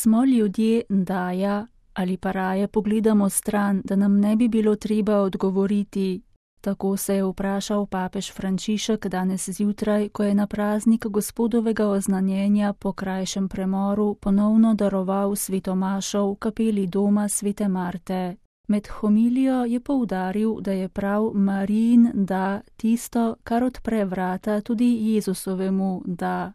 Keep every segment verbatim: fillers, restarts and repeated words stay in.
Smo ljudje daja ali pa raje pogledamo stran, da nam ne bi bilo treba odgovoriti? Tako se je vprašal papež Frančišek danes zjutraj, ko je na praznik Gospodovega oznanjenja po krajšem premoru ponovno daroval svetomašo v kapeli doma svete Marte. Med homilijo je poudaril, da je prav Marijin da tisto, kar odpre vrata tudi Jezusovemu da.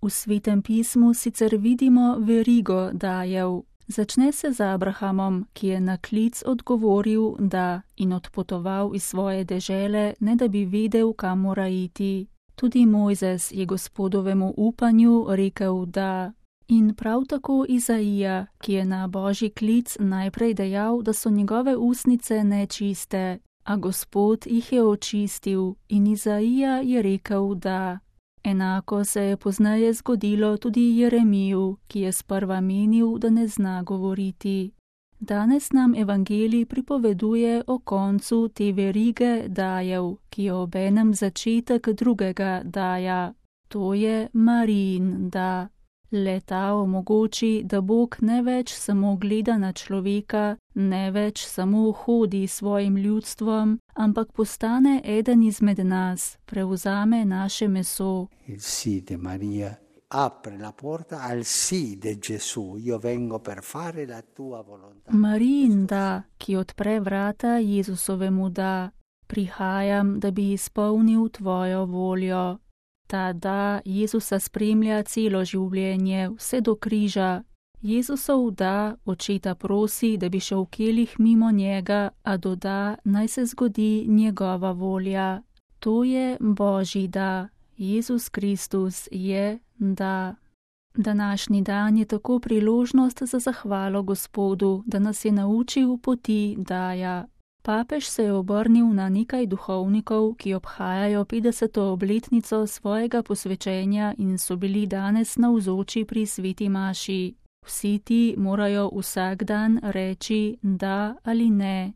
V Svetem pismu sicer vidimo verigo dajev. Začne se z Abrahamom, ki je na klic odgovoril da in odpotoval iz svoje dežele, ne da bi vedel, kam mora iti. Tudi Mojzes je Gospodovemu upanju rekel da. In prav tako Izaija, ki je na Božji klic najprej dejal, da so njegove ustnice nečiste, a Gospod jih je očistil in Izaija je rekel da. Enako se je pozneje zgodilo tudi Jeremiju, ki je sprva menil, da ne zna govoriti. Danes nam evangelij pripoveduje o koncu te verige dajev, ki je obenem začetek drugega daja. To je Marijin da. Le ta omogoči, da Bog ne več samo gleda na človeka, ne več samo hodi svojim ljudstvom, ampak postane eden izmed nas, prevzame naše meso. Il sì di Maria apre la porta al sì di Gesù. Io vengo per fare la tua volontà. Marijin da, ki odpre vrata Jezusovemu da. Prihajam, da bi izpolnil tvojo voljo. Ta da Jezusa spremlja celo življenje, vse do križa. Jezusov da očeta prosi, da bi šel v kelih mimo njega, a doda, naj se zgodi njegova volja. To je Božji da. Jezus Kristus je da. Današnji dan je tako priložnost za zahvalo Gospodu, da nas je naučil poti daja. Papež se je obrnil na nekaj duhovnikov, ki obhajajo petdeseto obletnico svojega posvečenja in so bili danes navzoči pri sveti maši. Vsi ti morajo vsak dan reči da ali ne.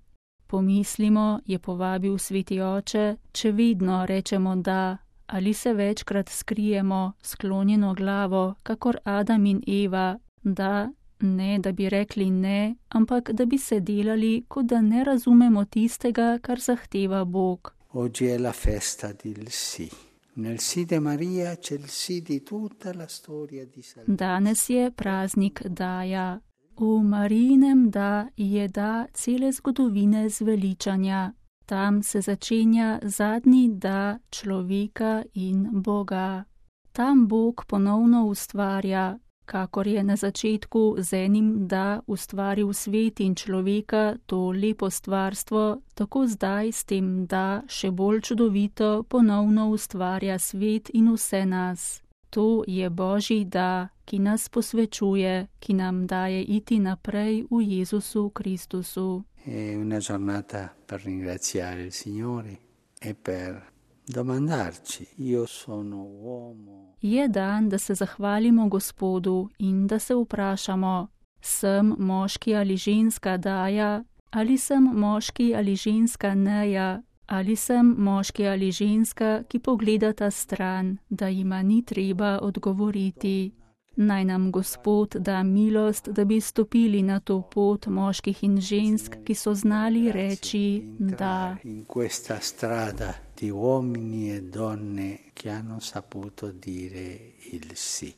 Pomislimo, je povabil sveti oče, če vedno rečemo da, ali se večkrat skrijemo, sklonjeno glavo, kakor Adam in Eva, da, ne da bi rekli ne, ampak da bi se delali, kot da ne razumemo tistega, kar zahteva Bog. Oggi è la festa del sì. Nel sì di Maria c'è il sì di tutta la storia di salvezza. Danes je praznik daja. V Marijinem da je da cele zgodovine zveličanja. Tam se začenja zadnji da človeka in Boga. Tam Bog ponovno ustvarja, kakor je na začetku z enim da ustvaril svet in človeka, to lepo stvarstvo, tako zdaj s tem da še bolj čudovito ponovno ustvarja svet in vse nas. To je Božji da, ki nas posvečuje, ki nam daje iti naprej v Jezusu Kristusu. È una giornata per ringraziare il Signore e per domandarci, io sono uomo. Je dan, da se zahvalimo Gospodu in da se vprašamo, sem moški ali ženska daja, ali sem moški ali ženska neja, ali sem moški ali ženska, ki pogledata stran, da jima ni treba odgovoriti. Naj nam Gospod da milost, da bi stopili na to pot moških in žensk, ki so znali reči da. In questa strada di uomini e donne che hanno saputo dire il sì.